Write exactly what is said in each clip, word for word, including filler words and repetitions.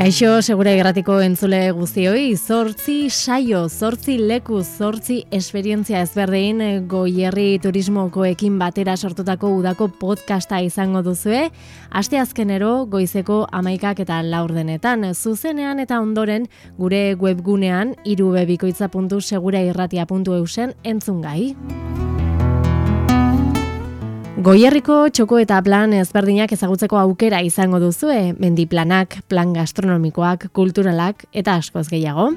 Kaixo, segura irratiko entzule guztioi, zortzi saio, zortzi leku, zortzi esperientzia ezberdin Goierri turismokoekin batera sortutako udako podcasta izango duzue, asteazkenero goizeko hamaikak eta laurdenetan, zuzenean eta ondoren gure webgunean irubebikoitza puntu segurairratia puntu eusen entzungai. Goierriko txoko eta plan ezberdinak ezagutzeko aukera izango duzue, mendiplanak, plan gastronomikoak, kulturalak eta askoz gehiago.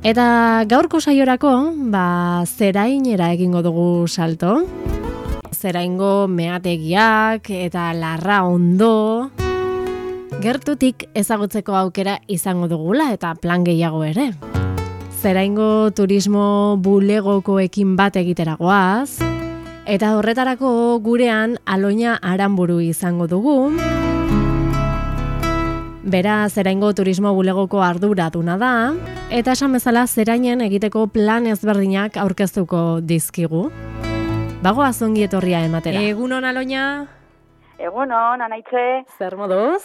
Eta gaurko saiorako, ba, zerainera egingo dugu salto. Zeraingo meategiak eta larra ondo. Gertutik ezagutzeko aukera izango dugula eta plan gehiago ere. Zeraingo turismo bulegokoekin bat egiteragoaz, eta horretarako gurean Aloina Aranburu izango dugu. Bera Zeraingo turismo bulegoko arduraduna da, eta esan bezala zerainen egiteko plan ezberdinak aurkeztuko dizkigu. Bagoaz ongi etorria ematera. Egunon, Aloina? Egunon, Anaitze. Zer moduz?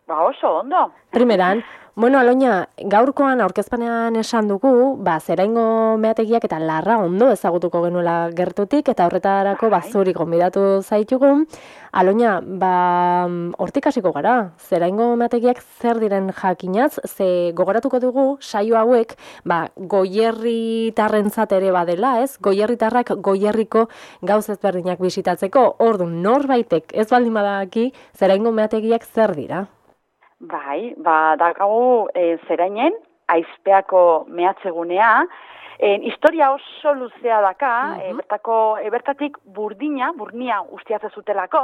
Ba oso, ondo. Primeran, bueno, Aloina, gaurkoan aurkezpanean esan dugu, ba, zeraingo meategiak eta larra ondo ezagutuko genuela gertutik, eta horretarako bai. bazuri gonbidatu zaitugu. Aloina, ba, hortik hasiko gara, zeraingo meategiak zer diren jakinaz, ze gogoratuko dugu, saio hauek, ba, goierritarrentzat ere badela, ez? Goierritarrak goierriko gauz ezberdinak bisitatzeko, orduan norbaitek ez baldin badaki, zeraingo meategiak zer dira? Bai, ba, dakagu e, zerainen, aizpeako mehatzegunea, e, historia oso luzea daka, uh-huh. e, bertako, e, bertatik burdina, burnia ustiatze zutelako,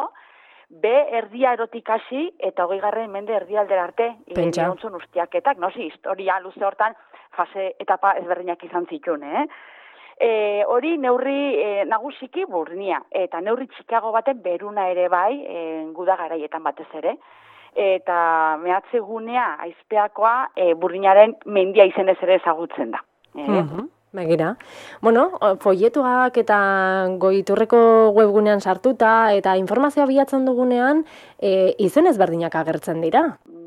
be erdia erotik hasi eta hogeigarren mende erdialdera arte, egontzun ustiaketak, no, si, historia luze hortan, fase etapa ezberdinak izan zituen, eh? E, hori neurri e, nagusiki burnia, eta neurri txikiago baten beruna ere bai, e, guda garaietan batez ere, eta mehatzegunea aizpeakoa e, burdinaren mendia izenez ere ezagutzen da. E? Uh-huh. Begira. Bueno, folletuak eta goiturreko webgunean sartuta eta informazioa bilatzen dugunean e, izen ezberdinak agertzen dira.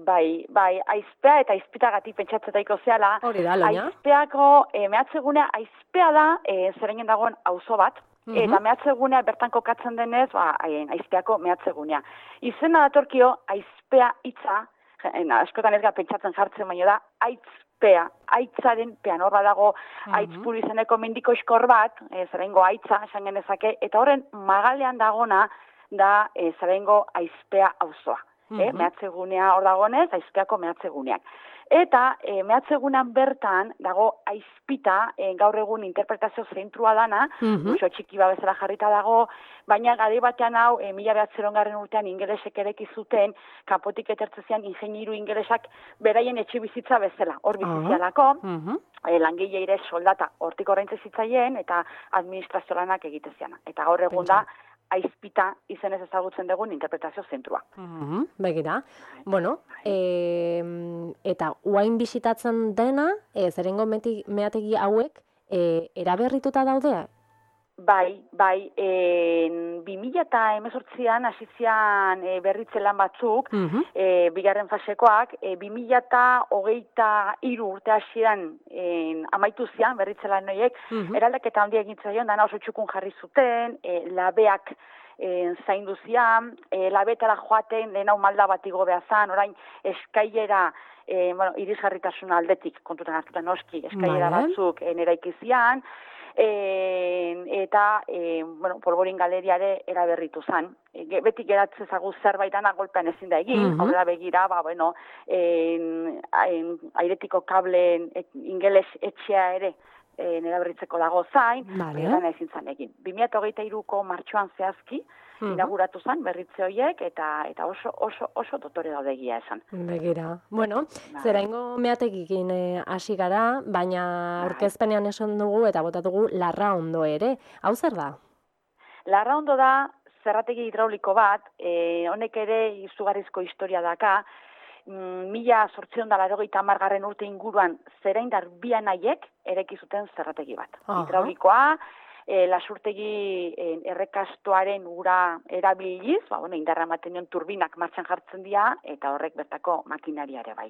Bai, bai, aizpea eta aizpitagatik pentsatzetaiko zehala. Hori da, Aloina. Aizpeako e, mehatzegunea aizpea da e, zerainen dagoen auzo bat. Uh-huh. Eta mehatzegunea bertan kokatzen denez, ba, aizpeako mehatzegunea. Izena datorkio aizpea hitza, askotan ez gara pentsatzen jartzen baino da, aitzpea, aitzaren pean horra dago uh-huh. aitzpuru izeneko mendiko iskor bat, e, zeraingo aitza esan genezake, eta horren magalean dagona da e, zeraingo aizpea auzoa. Uh-huh. E, mehatzegunea hor dagonez, aizpeako mehatzeguneak. Eta e, mehatzegunean bertan dago aizpita, e, gaur egun interpretazio zentrua dana, uh-huh. oso txiki babezela jarrita dago, baina gari batean hau, e, mila behatzerongarren urtean ingelesek ereki zuten, kanpotik etertzezian ingeniru ingelesak beraien etxe bizitza bezala, hor bizizialako, uh-huh. e, langileire soldata hortik oraintze zitzaien, eta administrazio lanak egiteziana. Eta gaur egun da, aizpita izenez ezagutzen dugun interpretazio zentrua. Uh-huh, begira. Bueno, e, eta uain bisitatzen dena, e, zeraingo meategi hauek, e, eraberrituta daude? Bai, bai, e, bi mila hemezortzian hasizian e, berritze lan batzuk, uh-huh. e, bigarren fasekoak, e, bi mila hogeita hiru urte hasieran e, amaitu zian berritze lan horiek, uh-huh. eraldaketa handia egin zaion, dana oso txukun jarri zuten, e, labeak e, zaindu zian, e, labetara joaten lehen hau malda bat igo behazan, orain eskailera, e, bueno, irisgarritasun aldetik kontutan hartuta noski, eskailera vale. batzuk e, neraiki zian, E, eta e, bueno, Polvorin galeriare eraberritu zan. E, beti geratzen zagu zerbait dana golpean ezin da egin, uh-huh. aurrera begira, ba, bueno, en, en, airetiko kableen et, ingeles etxea ere e, eraberritzeko dago zain, vale. Dana ezin zan egin. bi mila hogeita hiruko martxoan zehazki, uh-huh. inauguratu zan berritze horiek, eta eta oso oso oso dotore daude egia esan. Begira. Bueno, bai. Zeraingo meategikin hasi eh, gara, baina aurkezpenean esan dugu eta bota dugu larra ondo ere. Hau zer da? Larra ondo da zerrategi hidrauliko bat, eh, honek ere izugarrizko historia daka, mila zortziehun eta laurogeita hamargarren urte inguruan zeraindar bi anaiek ereki zuten zerrategi bat. Uh-huh. Hidraulikoa, e, lasurtegi e, errekastoaren ura erabiliz, ba, bueno, indarra ematen dion turbinak martxan jartzen dira, eta horrek bertako makinaria ere bai.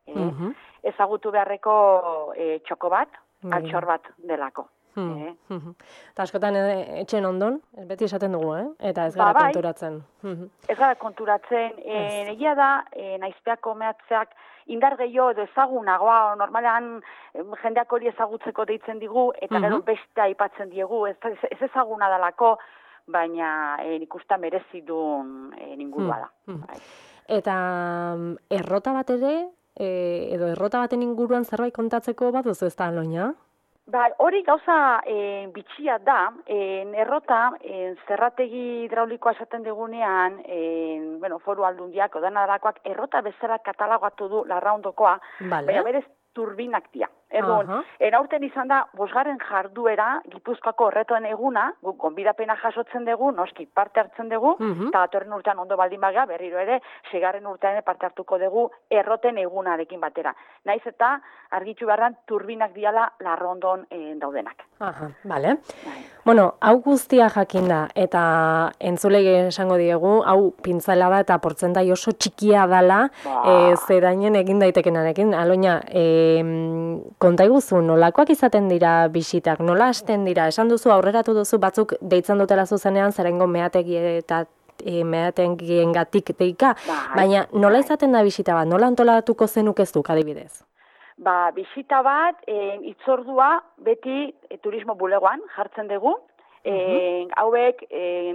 E, Mhm. Ezagutu beharreko e, txoko bat, Begira. altxor bat delako. Hmm. Eh? Mhm. Eta askotan e, etxen ondon, beti esaten dugu, eh? Eta ez Ba, gara bai. konturatzen. Mhm. Ez gara konturatzen, e, Ez. egia da, e, naizpeako mehatzeak indar gehiago edo ezagunagoa, normalean em, jendeak hori ezagutzeko deitzen digu, eta gero Mhm. beste aipatzen diegu, ez, ez ezaguna dalako, baina e, nik uste merezi duen e, ingurua da. Mhm. Bai. Eta mm, errota bat ere, e, edo errota baten inguruan zerbait kontatzeko baduzu ez da, Aloña? Ba, hori gauza e, bitxia da, e, errota, e, zerrategi hidraulikoa esaten dugunean, e, bueno, foru aldundiak, odanadakoak, errota bezala katalogoatu du larraundokoa, Vale. baina berez turbinak dira. Erduan, Aha. eraurten izan da, bosgarren jarduera, Gipuzkoako horretoen eguna, guk gonbidapena jasotzen dugu, noski parte hartzen dugu, Mhm. eta datorren urtean ondo baldin baga, berriro ere, segarren urtean parte hartuko dugu erroten egunarekin batera. Naiz eta argitu beharran turbinak diala larrondon e, daudenak. Aha, bale. Bai. Bueno, hau guztia jakinda, eta entzulei esango diegu, hau pintzela da eta portzentai oso txikia dala, Ba. e, zerainen egin daitekenarekin. Aloña, e, konta iguzu, nolakoak izaten dira bisitak, nola hasten dira? Esan duzu, aurreratu duzu batzuk deitzen dutela zuzenean, zerengo meategi eta e, meategiengatik deika, Bai, baina nola bai. izaten da bisita bat, nola antolatuko zenukeztuk adibidez? Ba, bisita bat, e, itzordua beti e, turismo bulegoan jartzen dugu. E, hauek e,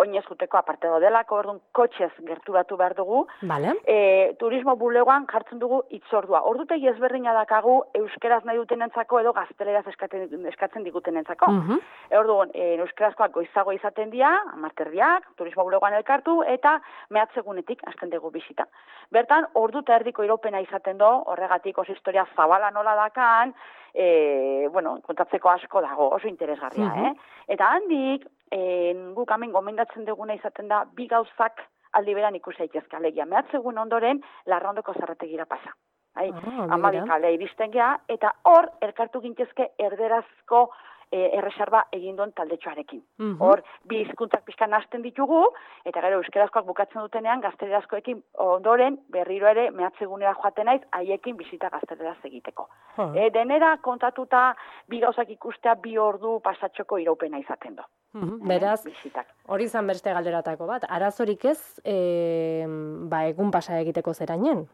oinez juteko aparte daudelako, orduan kotxez gerturatu behar dugu. Bale. E, turismo bulegoan jartzen dugu itzordua. Ordutegi ezberdina dakagu euskeraz nahi dutenentzako edo gazteleraz eskatzen, eskatzen digutenentzako. Mhm. E, orduan, e, euskarazkoak goizago izaten dira, amarterdiak, turismo bulegoan elkartu, eta mehatzegunetik hasten dugu bisita. Bertan, ordu eta erdiko iraupena izaten do, horregatik oso historia zabala nola dakan, e, bueno, kontatzeko asko dago, oso interesgarria, Mhm. eh? Eta handik, e, guk hemen gomendatzen duguna izaten da, bi gauzak aldi beran ikusi daitezke alegia. Mehatzegun ondoren, larrondoko zerrategira pasa. Bai, Ah, amabi begira. kale iristen gea, eta hor, elkartu gintezke erderazko e, erreserba egin duen taldetxoarekin. Mhm. Hor, bi hizkuntzak pixkan hasten ditugu, eta gero euskerazkoak bukatzen dutenean, gaztelerazkoekin ondoren, berriro ere, mehatzegunera joaten naiz, haiekin bisita gazteleraz egiteko. Ha. E, denera kontatuta, bi gauzak ikustea, bi ordu pasatxoko iraupena izaten do. Mhm. Beraz, Bisitak. hori izan beste galderatako bat, arazorik ez, e, ba, egun pasa egiteko zerainen?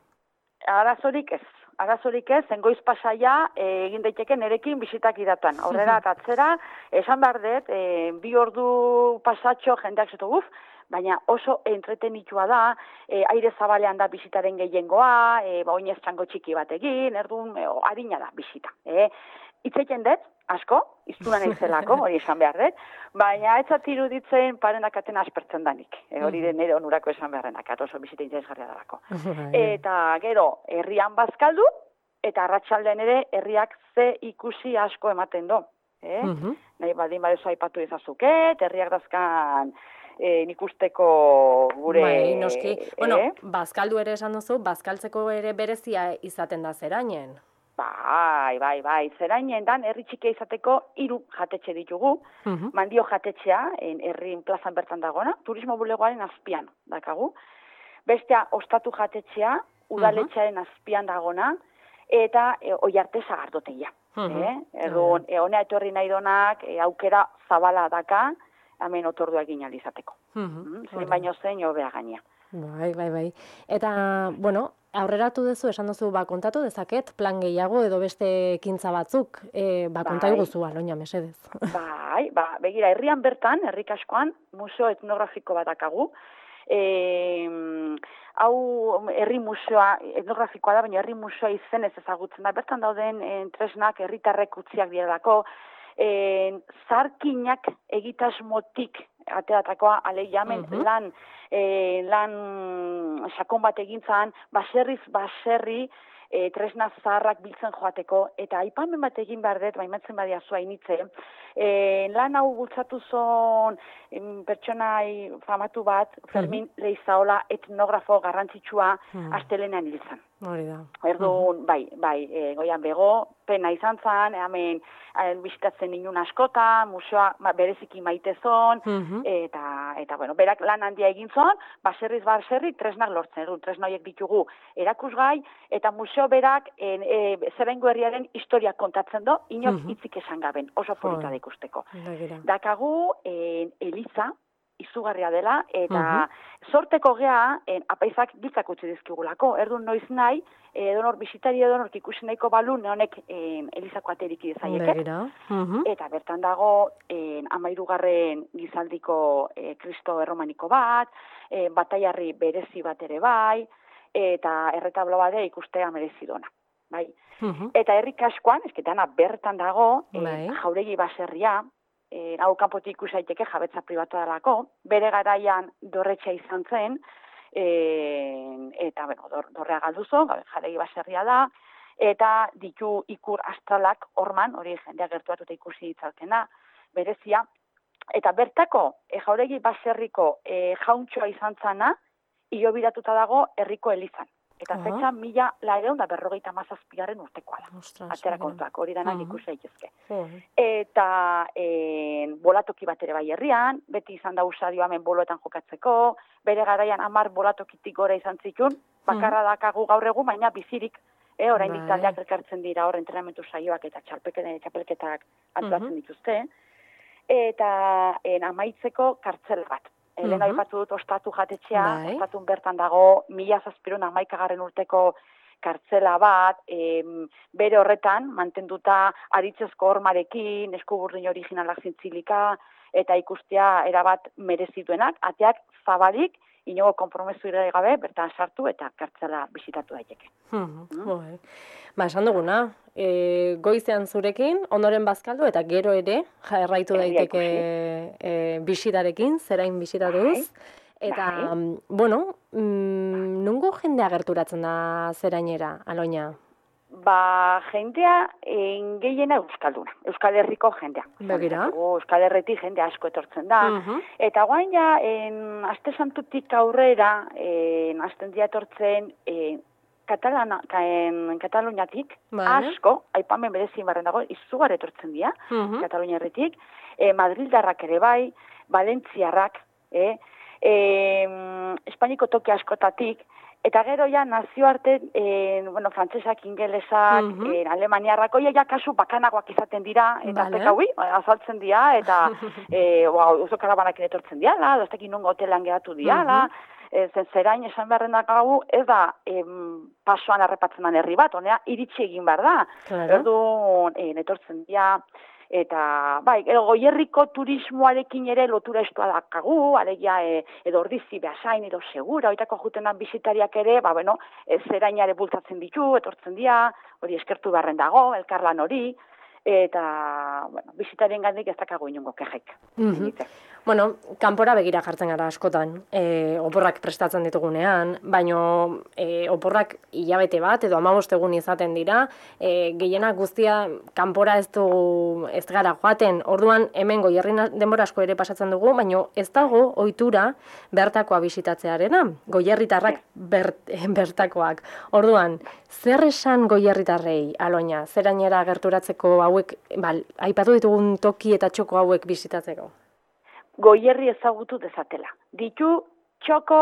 Arazorik ez. Arazorik ez, zengoiz pasaia e, egin daiteke nerekin bisitak idatan. Aurrera eta atzera, esan behar dut, e, bi ordu pasatxo jendeak zetu guf, baina oso entretenitua da, e, aire zabalean da bisitaren gehiengoa, e, ba, oinez txango txiki bat egin, erdun, e, harina da bisita. E, Itzeiten dut, asko, iztuna naizelako, hori esan behar dut, baina ez zat iruditzen parenakaten aspertzen danik. E, hori den nire onurako esan beharrenak, oso bisita interesgarria dalako. Eta gero, herrian bazkaldu, eta arratsaldean ere herriak ze ikusi asko ematen do. Eh? Mhm. Nahi badin badezu aipatu ezazuket, herriak dazkan e, nik usteko gure... Bai, noski. Bueno, eh? bazkaldu ere esan duzu, bazkaltzeko ere berezia izaten da zerainen. Bai, bai, bai. Zerainen dan, herri txikia izateko hiru jatetxe ditugu. Mhm. Mandio jatetxea, en, herrin plazan bertan dagona, turismo bulegoaren azpian dakagu. Bestea, ostatu jatetxea, udaletxearen azpian dagona, eta e, oiarte sagardotegia. Mhm. Eh? Erduan, e, honea etorri nahi donak, e, aukera zabala daka, hemen otordua egin alizateko. Mhm. Mm, zein baino zein hobea gaina. Bai, bai, bai. Eta, bueno, aurreratu duzu, esan duzu, ba, kontatu dezaket, plan gehiago edo beste ekintza batzuk, e, ba, konta Bai. iguzu, Aloña, mesedez. Bai, ba, begira, herrian bertan, herrik askoan, museo etnografiko bat dakagu. E, hau herri museoa, etnografikoa da, baina herri museoa izenez ezagutzen da. Bertan dauden en, tresnak herritarrek utziak direlako, en, zarkinak egitasmotik ateratakoa, alegia hemen Mhm. lan, e, lan sakon bat egintzan, baserriz baserri, e, tresna zaharrak biltzen joateko, eta aipamen bat egin behar dut, baimatzen badia zua initze, E, lan hau bultzatu zon em, pertsonai famatu bat, Fermin uh-huh. Leizaola etnografo garrantzitsua uh-huh. astelenean hil zen. Hori da. Erduan, uh-huh. bai, bai, e, goian bego, pena izan zen, hemen bisitatzen inun askota, museoa bereziki maite zon, uh-huh. eta, eta, bueno, berak lan handia egin zon, baserriz baserri tresnak lortzen, erdu, tresna horiek ditugu erakusgai, eta museo berak en, e, Zebengo herriaren historia kontatzen do, inok uh-huh. hitzik esan gaben, oso polita da ikusteko. Uh-huh. Dakagu, en, Eliza, izugarria dela, eta uh-huh. sorteko gea, en, apaizak biltzak utzi dizkigulako, erdun noiz nahi, edonor bisitari edonor ikusi nahiko balun, honek en, Elizako aterik idezaieke. Uh-huh. Eta bertan dago, en, amairugarren gizaldiko e, Kristo erromaniko bat, e, bataiarri berezi bat ere bai, eta erretablo bade ikustea merezidona. Bai. Uh-huh. Eta herri kaskoan, esketana bertan dago, e, jauregi baserria, E, hau kanpotik ikusaiteke jabetza pribatua delako, bere garaian dorretxa izan zen, e, eta bueno, dor, dorrea galduzo, jaregi baserria da, eta ditu ikur astralak orman, hori jendea gertuatuta ikusi ditzalkena, berezia, eta bertako e, jauregi baserriko e, jauntxoa izan zana, hilobiratuta dago herriko elizan. Eta uh-huh. fetxa mila lareun da berrogeita mazazpiaren urtekoa da. Ostras, atera kontuak, hori danak uh-huh. ikusi daitezke. Uh-huh. Eta en, bolatoki bat ere bai herrian, beti izan da usadio hemen boloetan jokatzeko, bere garaian hamar bolatokitik gora izan zitun, bakarra uh-huh. dakagu gaur egun, baina bizirik, eh, oraindik bai. Taldeak elkartzen dira hor entrenamentu saioak eta txapelketak antolatzen uh-huh. dituzte. Eta en, amaitzeko kartzela bat. Elena aipatu dut ostatu jatetxea, bai. Ostatun bertan dago, mila zazpiron hamaikagarren urteko kartzela bat, em, bere horretan, mantenduta aritzezko hormarekin, eskuburdin originalak zintzilika, eta ikustea erabat merezituenak, ateak zabalik, inogo konpromesu ere gabe, bertan sartu eta kartzela bisitatu daiteke. Hmm, mm. Ba, esan duguna, e, goizean zurekin, ondoren bazkaldu eta gero ere, jarraitu daiteke e, bisitarekin, zerain bisitatuz. Eta, bai. bueno, mm, nungo jendea gerturatzen da zerainera, Aloña? Ba, jendea en gehiena euskalduna, Euskal Herriko jendea. Begira. Euskal Herritik jende asko etortzen da. Uh-huh. Eta guain ja, en, aste santutik aurrera, en, asten dia etortzen, en, Katalana, en, Kataluniatik, vale. Asko, aipamen berezin barren dago, izugar etortzen dira, uh-huh. Katalunia herritik, e, Madrildarrak ere bai, Valentziarrak, e, e, Espainiko toki askotatik, eta gero ja nazioarte, e, bueno, frantsesak, ingelesak, uh-huh. e, alemaniarrako, ja kasu bakanagoak izaten dira, eta vale. Pekaui, azaltzen dira, eta e, wow, oso karabanakin etortzen diala, doztekin nungo hotelan geratu diala, uh-huh. e, zen zerain esan beharrenak hau, ez da em, pasoan arrepatzen den herri bat, honea, iritsi egin behar da. Claro. Erdu, e, netortzen dira, eta, bai, edo goierriko turismoarekin ere lotura estua dakagu, alegia e, edo ordizi behasain, edo segura, oitako jutenan bisitariak ere, ba, bueno, e, zerainare bultzatzen ditu, etortzen dira, hori eskertu beharren dago, elkarlan hori, eta, bueno, bisitarien gandik ez dakago inungo kejek. Mm-hmm. Bueno, kanpora begira jartzen gara askotan, e, oporrak prestatzen ditugunean, baino e, oporrak hilabete bat edo hamabost egun izaten dira, e, gehienak guztia kanpora ez du ez gara joaten, orduan hemen Goierrin denbora asko ere pasatzen dugu, baino ez dago ohitura bertakoa bisitatzearena, goierritarrak bert, bertakoak. Orduan, zer esan goierritarrei, Aloña, zerainera gerturatzeko hauek, bal, aipatu ditugun toki eta txoko hauek bisitatzeko? Goierri ezagutu dezatela. Ditu txoko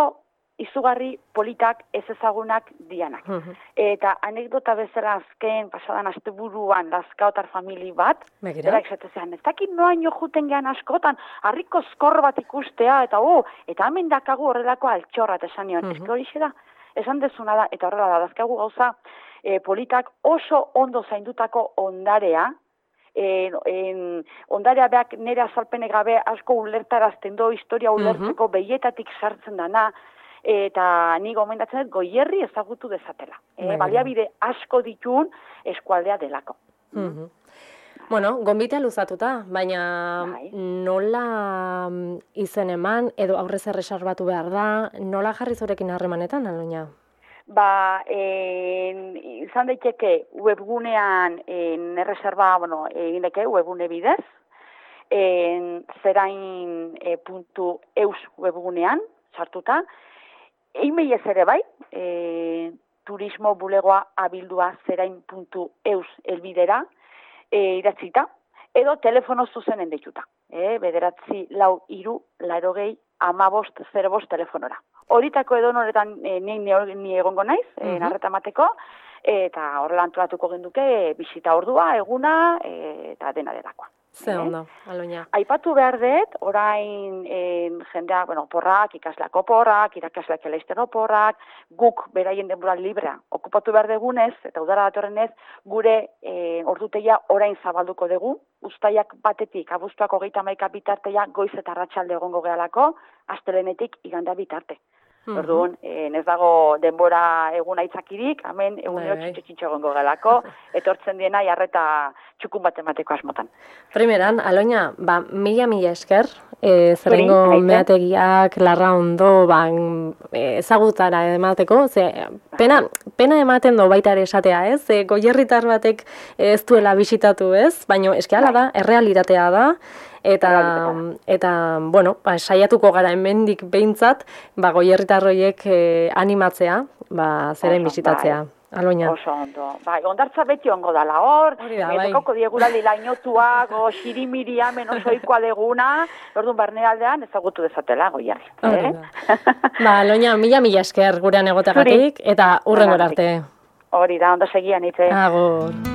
izugarri politak ez ezagunak dianak. Uh-huh. Eta anekdota bezala azken pasadan asteburuan Lazkaotar famili bat, berak esatezean, ez dakit noaino juten gehan askotan, harriko skor bat ikustea, eta oh, eta hemen dakagu horrelako altxorra, eta esan nion, uh-huh. eske hori da, esan dezuna da, eta horrela da, dazkagu gauza e, politak oso ondo zaindutako ondarea, En, en, ondarea beak nire azalpene gabe asko ulertarazten do, historia ulertzeko uh-huh. behietatik sartzen dana, eta ni gomendatzen dut Goierri ezagutu dezatela. E, baliabide asko ditun eskualdea delako. Uh-huh. Bueno, gonbitea luzatuta, baina Bai. Nola izen eman, edo aurrez erresarbatu behar da, nola jarri zurekin harremanetan, Aloña? Ba, en, izan daiteke webgunean en erreserba, bueno, egin deke webgune bidez, en, zerain e, puntu eus webgunean, sartuta, e-mailez ere bai, e, turismo bulegoa abildua zerain puntu eus elbidera e, idatzita, edo telefono zuzenen deituta, e, bederatzi lau iru, larogei, amabost, zero bost telefonora. Horitako edo noretan e, ni, ni egongo naiz, e, Mhm. narreta mateko, eta horrela antolatuko genduke bisita ordua, eguna, e, eta dena delakoa. Ze ondo, Aloña. Aipatu behar dut, orain e, jendea, bueno, porrak, ikasleak oporrak, irakasleak eleizten oporrak, guk beraien denbora librea okupatu behar degunez, eta udara datorrenez, gure e, ordutegia orain zabalduko dugu, uztaiak batetik, abuztuak hogeita hamaika bitarteia, goiz eta arratsalde egongo gehalako, astelenetik iganda bitarte. Mhm. Orduan, eh, ez dago denbora egun aitzakirik, hemen egunero Bai. txintxo egongo galako, etortzen diena jarreta txukun bat emateko asmotan. Primeran, Aloña, ba, mila mila esker, e, zerengo Zuri, aite. meategiak, larra ondo, ba, e, ezagutara emateko, ze, pena, pena ematen do baita ere esatea, ez? E, goierritar batek ez duela bisitatu, ez? Baina eskiala da, errealitatea da, eta, eta bueno, ba, saiatuko gara hemendik behintzat, ba, goierritarroiek e, animatzea, ba, zeren Oso, bisitatzea. bai. Aloña. Oso ondo. Bai, ondartza beti ongo dala hor, Hori da, bai. etokako diegurali lainotuak, o xirimiri hemen osoikoa deguna, orduan barnealdean ezagutu dezatela goiarri. Hori Eh? da. Ba, Aloña, mila mila esker gurean egoteagatik, eta hurrengora arte. Hori da, ondo segian itze. Agur.